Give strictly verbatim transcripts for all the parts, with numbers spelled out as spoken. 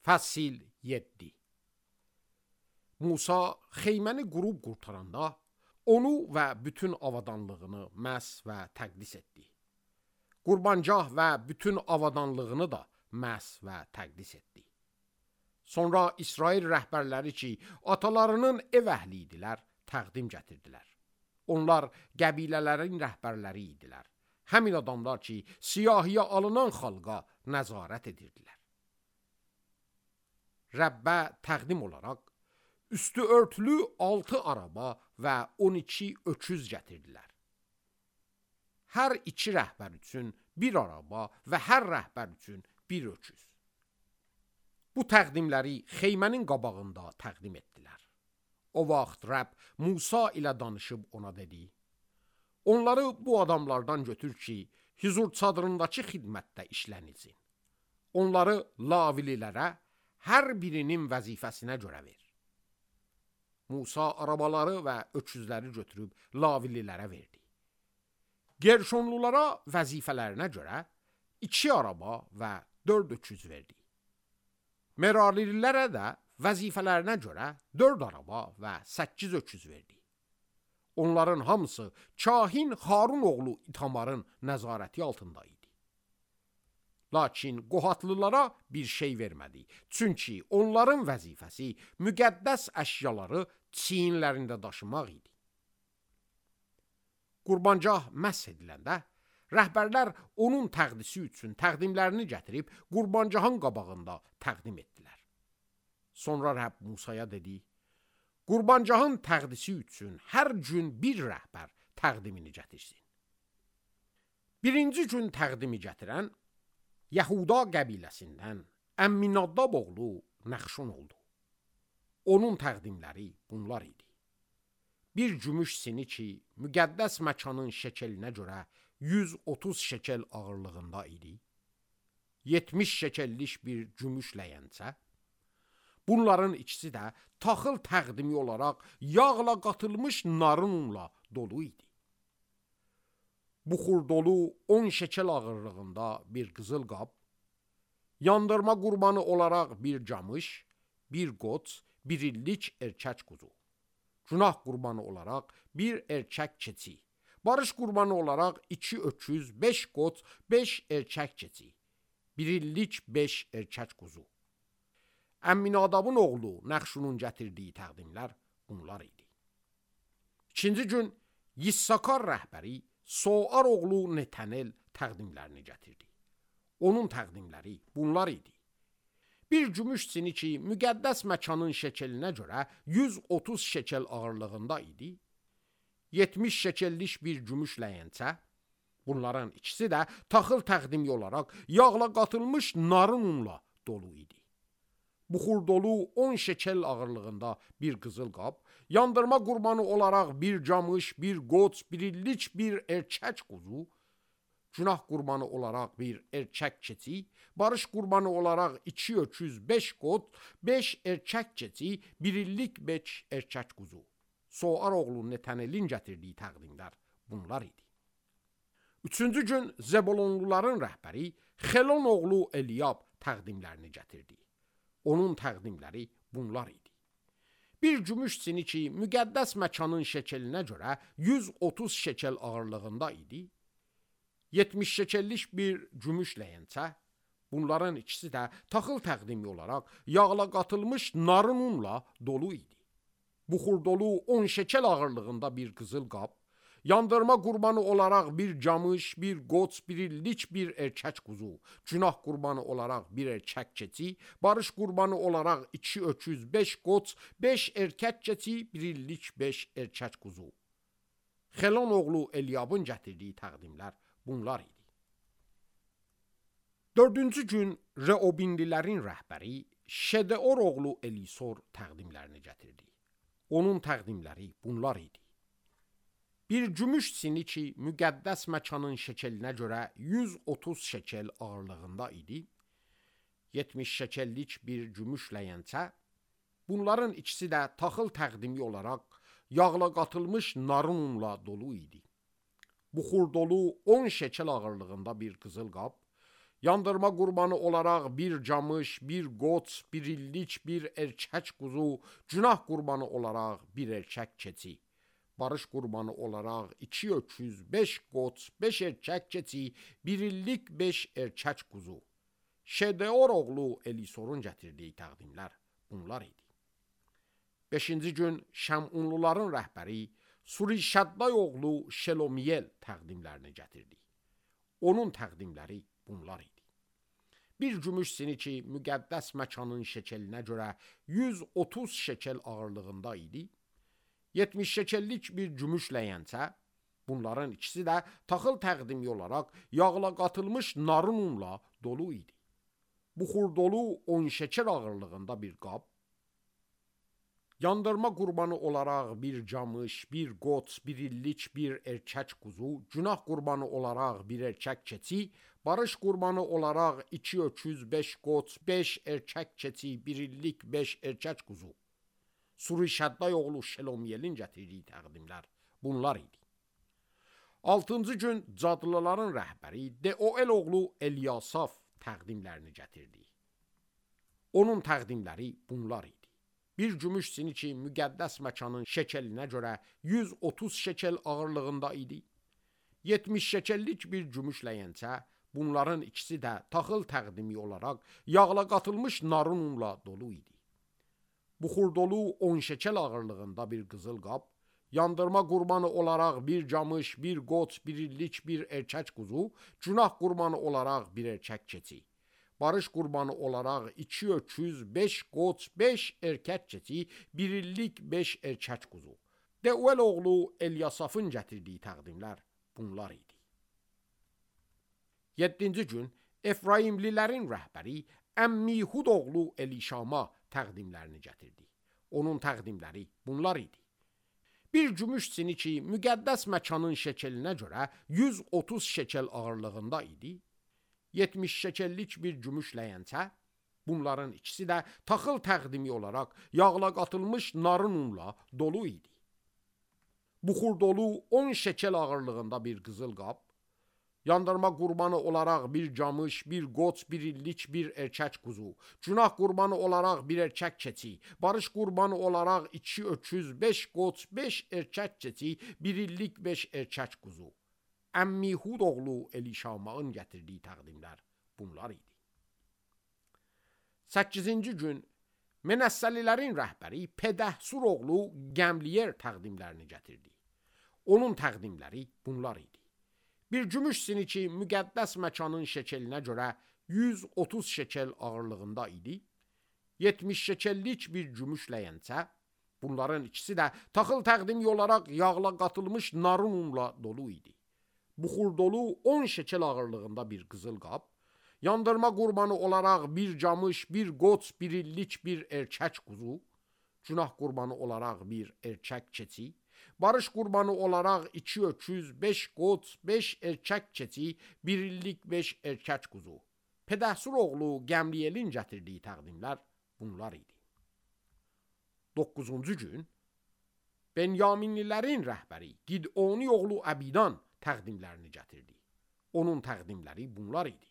Fəsil yeddi. Musa xeyməni qurub qurtaranda onu və bütün avadanlığını məhs və təqdis etdi. Qurbancah və bütün avadanlığını da məhs və təqdis etdi. Sonra İsrail rəhbərləri ki, atalarının ev əhli idilər, təqdim gətirdilər. Onlar qəbilələrin rəhbərləri idilər. Həmin adamlar ki, siyahiyə alınan xalqa nəzarət edirdilər. Rəbbə təqdim olaraq üstü örtülü altı araba və on iki öküz gətirdilər. Hər iki rəhbər üçün bir araba və hər rəhbər üçün bir öküz. Bu təqdimləri xeymənin qabağında təqdim etdilər. O vaxt Rəbb Musa ilə danışıb ona dedi: Onları bu adamlardan götür ki, hüzur çadırındakı xidmətdə işlənilsin. Onları lavililərə hər birinin vəzifəsinə görə ver. Musa arabaları və öküzləri götürüb lavililərə verdi. Gerşonlulara vəzifələrinə görə iki araba və dörd öküz verdi. Merarilərə də vəzifələrinə görə dörd araba və səkkiz öküz verdi. Onların hamısı kahin Harun oğlu İtamarın nəzarəti altında idi. Lakin Qohatlılara bir şey vermədi. Çünki onların vəzifəsi müqəddəs əşyaları çiyinlərində daşımaq idi. Qurbancah məhs ediləndə, rəhbərlər onun təqdisi üçün təqdimlərini gətirib qurbancahın qabağında təqdim etdilər. Sonra Rəbb Musaya dedi: Qurbancahın təqdisi üçün hər gün bir rəhbər təqdimini gətirsin. Birinci gün təqdimi gətirən Yahuda qəbiləsindən Əmminadab oğlu Nəxşon oldu. Onun təqdimləri bunlar idi. Bir gümüş sini ki, müqəddəs məkanın şekelinə görə yüz otuz şekel ağırlığında idi. yetmiş şekellik bir gümüş ləyəncə. Bunların ikisi də taxıl təqdimi olaraq yağla qatılmış narın unla dolu idi. Buxur dolu on şekel ağırlığında bir qızıl qab, yandırma qurbanı olaraq bir camış, bir qoç, bir illik erkək quzu, günah qurbanı olaraq bir erkək keçi, barış qurbanı olaraq iki öküz, beş qoç, beş erkək keçi, bir illik beş erkək quzu. Əmminadabın oğlu Nəxşunun gətirdiyi təqdimlər bunlar idi. İkinci gün Yissakar rəhbəri Soar oğlu Netanel təqdimlərini gətirdi. Onun təqdimləri bunlar idi. Bir gümüş sini ki, müqəddəs məkanın şekelinə görə yüz otuz şekel ağırlığında idi. yetmiş şekellik bir gümüş ləyəncə. Bunların ikisi də taxıl təqdimi olaraq yağla qatılmış narın unla dolu idi. Buxur dolu on şekel ağırlığında bir qızıl qab, yandırma qurbanı olaraq bir camış, bir qoç, bir illik bir erkək quzu, günah qurbanı olaraq bir erkək keçi, barış qurbanı olaraq iki öküz, beş qoç, beş erkək keçi, bir illik beş erkək quzu. Soar oğlu Netanelin gətirdiyi təqdimlər bunlar idi. Üçüncü gün Zebolonluların rəhbəri Xelon oğlu Eliyab təqdimlərini gətirdi. Onun təqdimləri bunlar idi. Bir gümüş sini ki, müqəddəs məkanın şekelinə görə yüz otuz şekel ağırlığında idi. yetmiş şekellik bir gümüş ləyəncə. Bunların ikisi də taxıl təqdimi olaraq yağla qatılmış narın unla dolu idi. Buxur dolu on şekel ağırlığında bir qızıl qab, yandırma qurbanı olaraq bir camış, bir qoç, bir illik bir erkək quzu, günah qurbanı olaraq bir erkək keçi, barış qurbanı olaraq iki öküz, beş qoç, beş erkək keçi, bir illik beş erkək quzu. Xelon oğlu Eliyabın gətirdiyi təqdimlər bunlar idi. Dördüncü gün Reobinlilərin rəhbəri Şedeor oğlu Elisor təqdimlərini gətirdi. Onun təqdimləri bunlar idi. Bir gümüş sini ki, müqəddəs məkanın şekelinə görə yüz otuz şekel ağırlığında idi. yetmiş şekellik bir gümüş ləyəncə. Bunların ikisi də taxıl təqdimi olaraq yağla qatılmış narın unla dolu idi. Buxur dolu on şekel ağırlığında bir qızıl qab, yandırma qurbanı olaraq bir camış, bir qoç, bir illik, bir erkək quzu, günah qurbanı olaraq bir erkək keçi, barış qurbanı olaraq iki öküz, beş qoç, beş erkək keçi, bir illik, beş erkək quzu. Şedeor oğlu Elisorun gətirdiyi təqdimlər bunlar idi. Beşinci gün Şəmunluların rəhbəri Surişadday oğlu Şelomiyel təqdimlərini gətirdi. Onun təqdimləri bunlar idi. Bir gümüş siniki müqəddəs məkanın şekelinə görə yüz otuz şekel ağırlığında idi. yetmiş şekellik bir gümüş ləyəncə, bunların ikisi də taxıl təqdimi olaraq yağla qatılmış narın unla dolu idi. Buxur dolu on şekel ağırlığında bir qab, yandırma qurbanı olaraq bir camış, bir qoç, bir illik, bir erkək quzu, günah qurbanı olaraq bir erkək keçi, barış qurbanı olaraq iki öküz, beş qoç, beş erkək keçi, bir illik, beş erkək quzu. Surişadday oğlu Şelomiyelin gətirdiyi təqdimlər bunlar idi. Altıncı gün cadlıların rəhbəri Deoel oğlu Elyasaf təqdimlərini gətirdi. Onun təqdimləri bunlar idi. Bir gümüş siniki müqəddəs məkanın şekelinə görə yüz otuz şekel ağırlığında idi. yetmiş şekellik bir gümüş ləyəncə, bunların ikisi də taxıl təqdimi olaraq yağla qatılmış narın unla dolu idi. Buxur dolu on şekel ağırlığında bir qızıl qab, yandırma qurbanı olaraq bir camış, bir qoç, bir illik, bir erkək quzu, günah qurbanı olaraq bir erkək keçi, barış qurbanı olaraq iki öküz, beş qoç, beş erkək keçi, bir illik, beş erkək quzu. Deoel oğlu Elyasafın gətirdiyi təqdimlər bunlar idi. Yeddinci gün Efraimlilərin rəhbəri Əmmihud oğlu Elişama təqdimlərini gətirdi. Onun təqdimləri bunlar idi. Bir gümüş siniki müqəddəs məkanın şekelinə görə yüz otuz şekel ağırlığında idi. yetmiş şekellik bir gümüş ləyəncə, bunların ikisi də taxıl təqdimi olaraq yağla qatılmış narın unla dolu idi. Buxur dolu on şekel ağırlığında bir qızıl qab, yandırma qurbanı olaraq bir camış, bir qoç, bir illik, bir erkək quzu, günah qurbanı olaraq bir erkək keçi, barış qurbanı olaraq iki öküz, beş qoç, beş erkək keçi, bir illik, beş erkək quzu. Əmmihud oğlu Elişamağın gətirdiyi təqdimlər bunlar idi. Səkkizinci gün Menəssəlilərin rəhbəri Pedəhsur oğlu Gəmliyer təqdimlərini gətirdi. Onun təqdimləri bunlar idi. Bir gümüş siniki müqəddəs məkanın şekelinə görə yüz otuz şekel ağırlığında idi. yetmiş şekellik bir gümüş ləyəncə, bunların ikisi də taxıl təqdimi olaraq yağla qatılmış narın unla dolu idi. Buxur dolu on şekel ağırlığında bir qızıl qab, yandırma qurbanı olaraq bir camış, bir qoç, bir illik, bir erkək quzu, günah qurbanı olaraq bir erkək keçi, barış qurbanı olaraq iki öküz, beş qoç, beş erkək keçi, bir illik, beş erkək quzu. Pedəhsur oğlu Gəmliyelin gətirdiyi təqdimlər bunlar idi. Doqquzuncu gün Benyaminlilərin rəhbəri Gidoni oğlu Əbidan təqdimlərini gətirdi. Onun təqdimləri bunlar idi.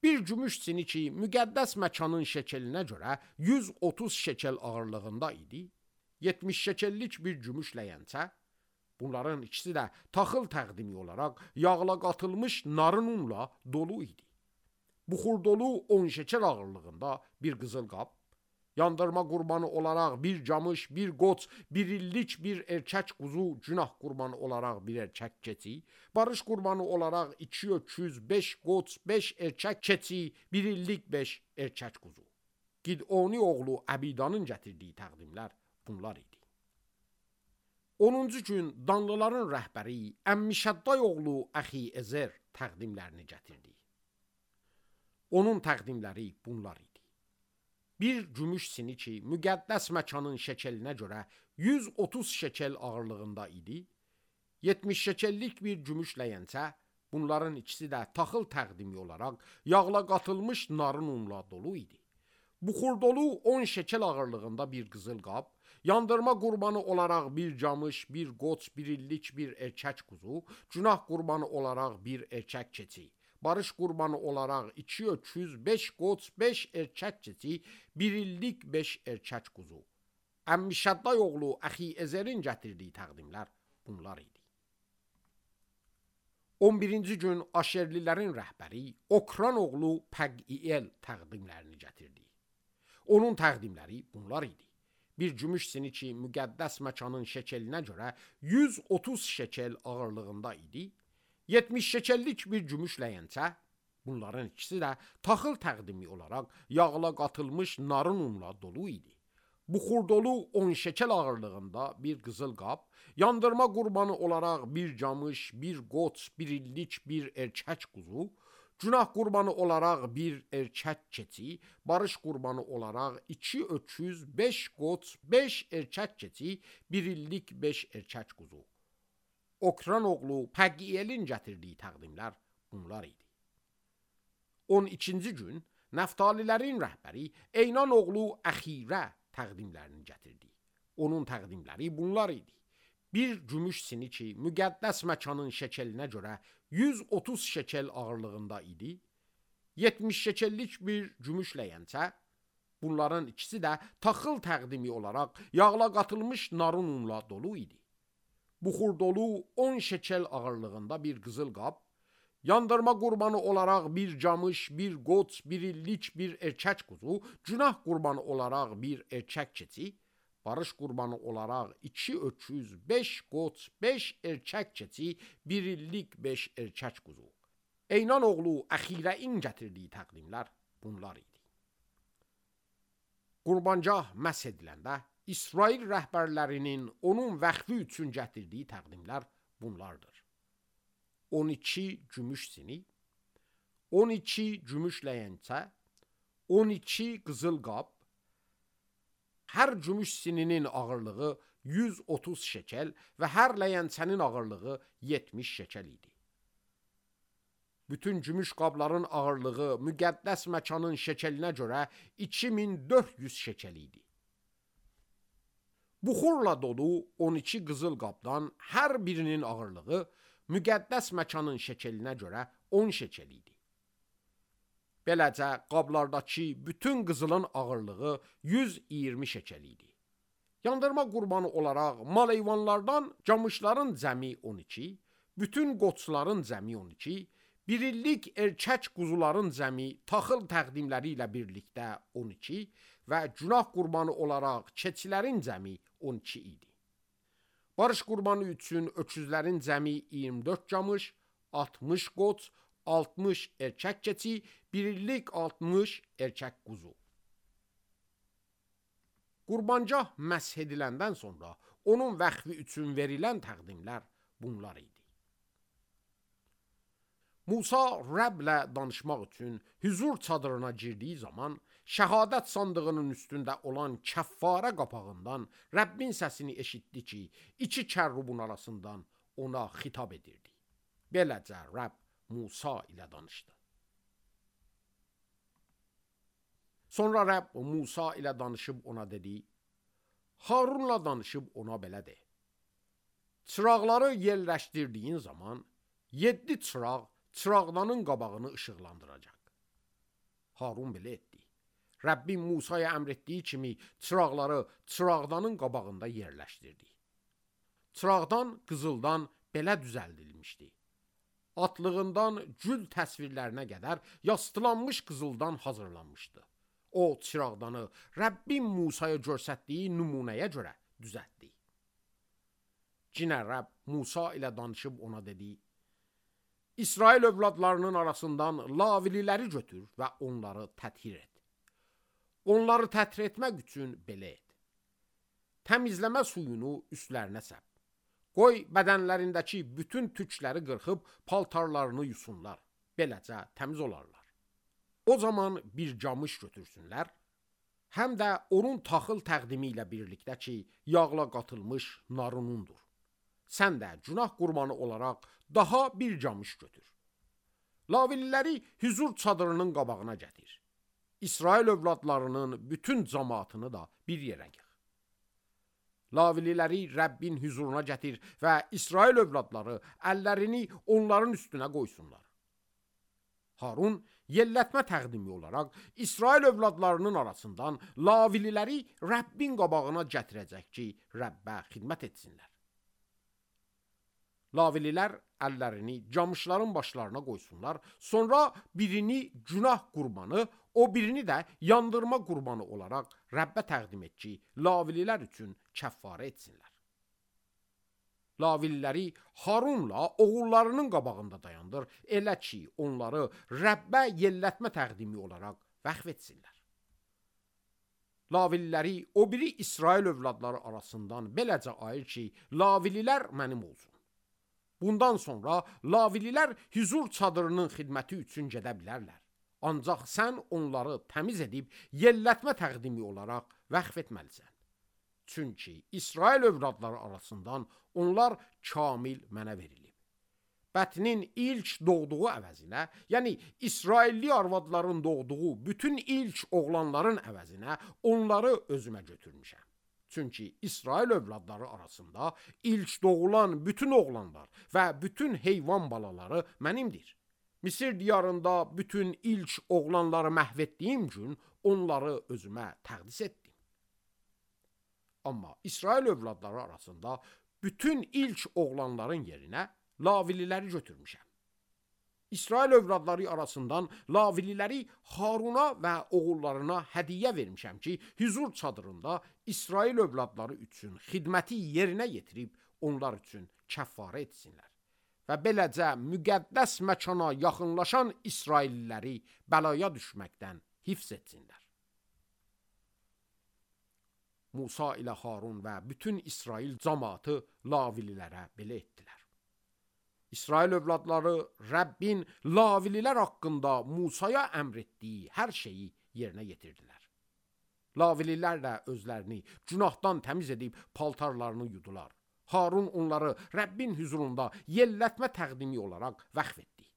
Bir gümüş siniki müqəddəs məkanın şekelinə görə yüz otuz şekel ağırlığında idi. yetmiş şekellik bir gümüş ləyəncə, bunların ikisi də taxıl təqdimi olaraq yağla qatılmış narın unla dolu idi. Buxur dolu on şekel ağırlığında bir qızıl qab, yandırma qurbanı olaraq bir camış, bir qoç, bir illik, bir erkək quzu, günah qurbanı olaraq bir erkək keçi, barış qurbanı olaraq iki öküz, beş qoç, beş erkək keçi, bir illik, beş erkək quzu. Gidoni oğlu Əbidanın gətirdiyi təqdimlər bunlar idi. onuncu gün Danlıların rəhbəri Əmmişədday oğlu Əxi-Ezer təqdimlərini gətirdi. Onun təqdimləri bunlar idi. Bir gümüş siniki müqəddəs məkanın şekelinə görə yüz otuz şekel ağırlığında idi. yetmiş şekellik bir gümüş ləyəncə, bunların ikisi də taxıl təqdimi olaraq yağla qatılmış narın unla dolu idi. Buxur dolu on şekel ağırlığında bir qızıl qab, yandırma qurbanı olaraq bir camış, bir qoç, bir illik, bir erkək quzu, günah qurbanı olaraq bir erkək keçi, barış qurbanı olaraq iki öküz, beş qoç, beş erkək keçi, bir illik beş erkək quzu. Əmmi Şədday oğlu Əxi Ezerin gətirdiyi təqdimlər bunlar idi. on birinci gün Aşerlilərin rəhbəri Okran oğlu Pəqiyel təqdimlərini gətirdi. Onun təqdimləri bunlar idi. Bir gümüş siniki müqəddəs məkanın şekelinə görə yüz otuz şekel ağırlığında idi. yetmiş şekellik bir gümüş ləyəncə, bunların ikisi də taxıl təqdimi olaraq yağla qatılmış narın unla dolu idi. Buxur dolu on şekel ağırlığında bir qızıl qab, yandırma qurbanı olaraq bir camış, bir qoç, bir illik bir erkək quzu, günah qurbanı olaraq bir erkək keçi, barış qurbanı olaraq iki öküz, beş qoç, beş erkək keçi, bir illik beş erkək quzu. Okran oğlu Pəqiyelin gətirdiyi təqdimlər bunlar idi. on ikinci gün Nəftalilərin rəhbəri Eynan oğlu Əxirə təqdimlərini gətirdi. Onun təqdimləri bunlar idi. Bir gümüş siniki müqəddəs məkanın şekelinə görə yüz otuz şekel ağırlığında idi. yetmiş şekellik bir gümüş ləyəncə, bunların ikisi də taxıl təqdimi olaraq yağla qatılmış narın unla dolu idi. Buxur dolu on şekel ağırlığında bir qızıl qab, yandırma qurbanı olaraq bir camış, bir qoç, bir illik bir erkək quzu, günah qurbanı olaraq bir erkək keçi, barış qurbanı olaraq iki öküz, beş qoç, beş erkək keçi, bir illik beş erkək quzu. Eynan oğlu Əxirəin gətirdiyi təqdimlər bunlar idi. Qurbancah məhz ediləndə İsrail rəhbərlərinin onun vəxfi üçün gətirdiyi təqdimlər bunlardır. on iki gümüş sinik, on iki gümüş ləyəncə, on iki qızıl qab, hər gümüş sininin ağırlığı yüz otuz şekel və hər ləyəncənin ağırlığı yetmiş şekel idi. Bütün gümüş qabların ağırlığı müqəddəs məkanın şekelinə görə iki min dörd yüz şekel idi. Buxurla dolu on iki qızıl qabdan hər birinin ağırlığı müqəddəs məkanın şekelinə görə on şekel idi. Beləcə qablardakı bütün qızılın ağırlığı yüz iyirmi şekel idi. Yandırma qurbanı olaraq mal heyvanlardan camışların cəmi on iki, bütün qoçların cəmi on iki, bir illik erkək quzuların cəmi taxıl təqdimləri ilə birlikdə on iki və günah qurbanı olaraq keçilərin cəmi on iki idi. Barış qurbanı üçün öküzlərin cəmi iyirmi dörd camış, altmış qoç, altmış erkək keçi, bir illik altmış erkək quzu. Qurbancah məsh ediləndən sonra onun vəxfi üçün verilən təqdimlər bunlar idi. Musa Rəblə danışmaq üçün hüzur çadırına girdiyi zaman şəhadət sandığının üstündə olan kəffara qapağından Rəbbin səsini eşitdi ki, iki kərrubun arasından ona xitab edirdi. Beləcə Rəbb Musa ilə danışdı. Sonra Rəbb Musa ilə danışıb ona dedi, Harunla danışıb ona belə de. Çıraqları yerləşdirdiyin zaman yeddi çıraq çıraqdanın qabağını işıqlandıracaq. Harun belə etdi. Rəbbin Musaya əmr etdiyi kimi çıraqları çıraqdanın qabağında yerləşdirdi. Çıraqdan qızıldan belə düzəldilmişdi. Atlığından gül təsvirlərinə qədər yastılanmış qızıldan hazırlanmışdı. O çıraqdanı Rəbbin Musaya göstərdiyi nümunəyə görə düzəltdi. Cinə Rəbb Musa ilə danışıb ona dedi, İsrail övladlarının arasından lavililəri götür və onları təthir et. Onları təthir etmək üçün belə et. Təmizləmə suyunu üstlərinə səp. Qoy bədənlərindəki bütün tükləri qırxıb paltarlarını yusunlar. Beləcə təmiz olarlar. O zaman bir camış götürsünlər, həm də onun taxıl təqdimi ilə birlikdə ki, yağla qatılmış narınundur. Sən də günah qurbanı olaraq daha bir camış götür. Lavililəri hüzur çadırının qabağına gətir. İsrail övladlarının bütün cəmaatını da bir yerə yığ. Lavililəri Rəbbin hüzuruna gətir və İsrail övladları əllərini onların üstünə qoysunlar. Harun yellətmə təqdimi olaraq İsrail övladlarının arasından Lavililəri Rəbbin qabağına gətirəcək ki, Rəbbə xidmət etsinlər. Lavililər əllərini camışların başlarına qoysunlar, sonra birini günah qurbanı, o birini də yandırma qurbanı olaraq Rəbbə təqdim et ki, Lavililər üçün kəffarə etsinlər. Lavililəri Harunla oğullarının qabağında dayandır, elə ki, onları Rəbbə yellətmə təqdimi olaraq vəqf etsinlər. Lavililəri o biri İsrail övladları arasından beləcə ayır ki, Lavililər mənim olsun. Bundan sonra Lavililər hüzur çadırının xidməti üçün gedə bilərlər. Ancaq sən onları təmiz edib yellətmə təqdimi olaraq vəqf etməlisən. Çünki İsrail övladları arasından onlar kamil mənə verilib. Bətnin ilk doğduğu əvəzinə, yəni İsrailli arvadların doğduğu bütün ilk oğlanların əvəzinə onları özümə götürmüşəm. Çünki İsrail övladları arasında ilk doğulan bütün oğlanlar və bütün heyvan balaları mənimdir. Misir diyarında bütün ilk oğlanları məhv etdiyim gün onları özümə təqdis etdim. Amma İsrail övladları arasında bütün ilk oğlanların yerinə Lavililəri götürmüşəm. İsrail övladları arasından Lavililəri Haruna və oğullarına hədiyyə vermişəm ki, hüzur çadırında İsrail övladları üçün xidməti yerinə yetirib onlar üçün kəffarə etsinlər. Və beləcə müqəddəs məkana yaxınlaşan İsrailliləri bəlaya düşməkdən hifz etsinlər. Musa ilə Harun və bütün İsrail cəmaatı Lavililərə belə etdilər. İsrail övladları Rəbbin Lavililər haqqında Musaya əmr etdiyi hər şeyi yerinə yetirdilər. Lavililər də özlərini günahdan təmiz edib paltarlarını yudular. Harun onları Rəbbin hüzurunda yellətmə təqdimi olaraq vəqf etdi.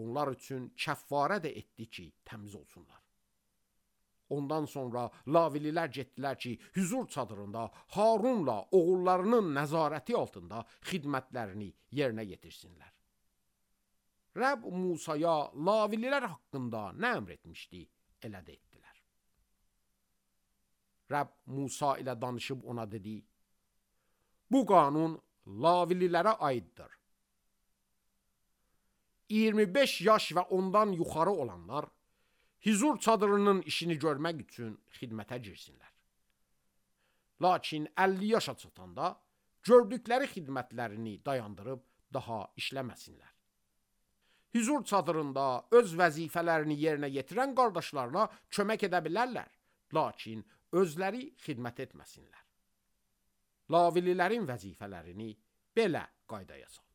Onlar üçün kəffarə də etdi ki, təmiz olsunlar. Ondan sonra Lavililər getdilər ki, hüzur çadırında Harunla oğullarının nəzarəti altında xidmətlərini yerinə yetirsinlər. Rəbb Musaya Lavililər haqqında nə əmr etmişdi, elə də etdilər. Rəbb Musa ilə danışıb ona dedi, bu qanun Lavililərə aiddir. iyirmi beş yaş və ondan yuxarı olanlar hüzur çadırının işini görmək üçün xidmətə girsinlər. Lakin əlli yaşa çatanda gördükləri xidmətlərini dayandırıb daha işləməsinlər. Hüzur çadırında öz vəzifələrini yerinə yetirən qardaşlarına kömək edə bilərlər, lakin özləri xidmət etməsinlər. Lavililərin vəzifələrini belə qaydaya sal.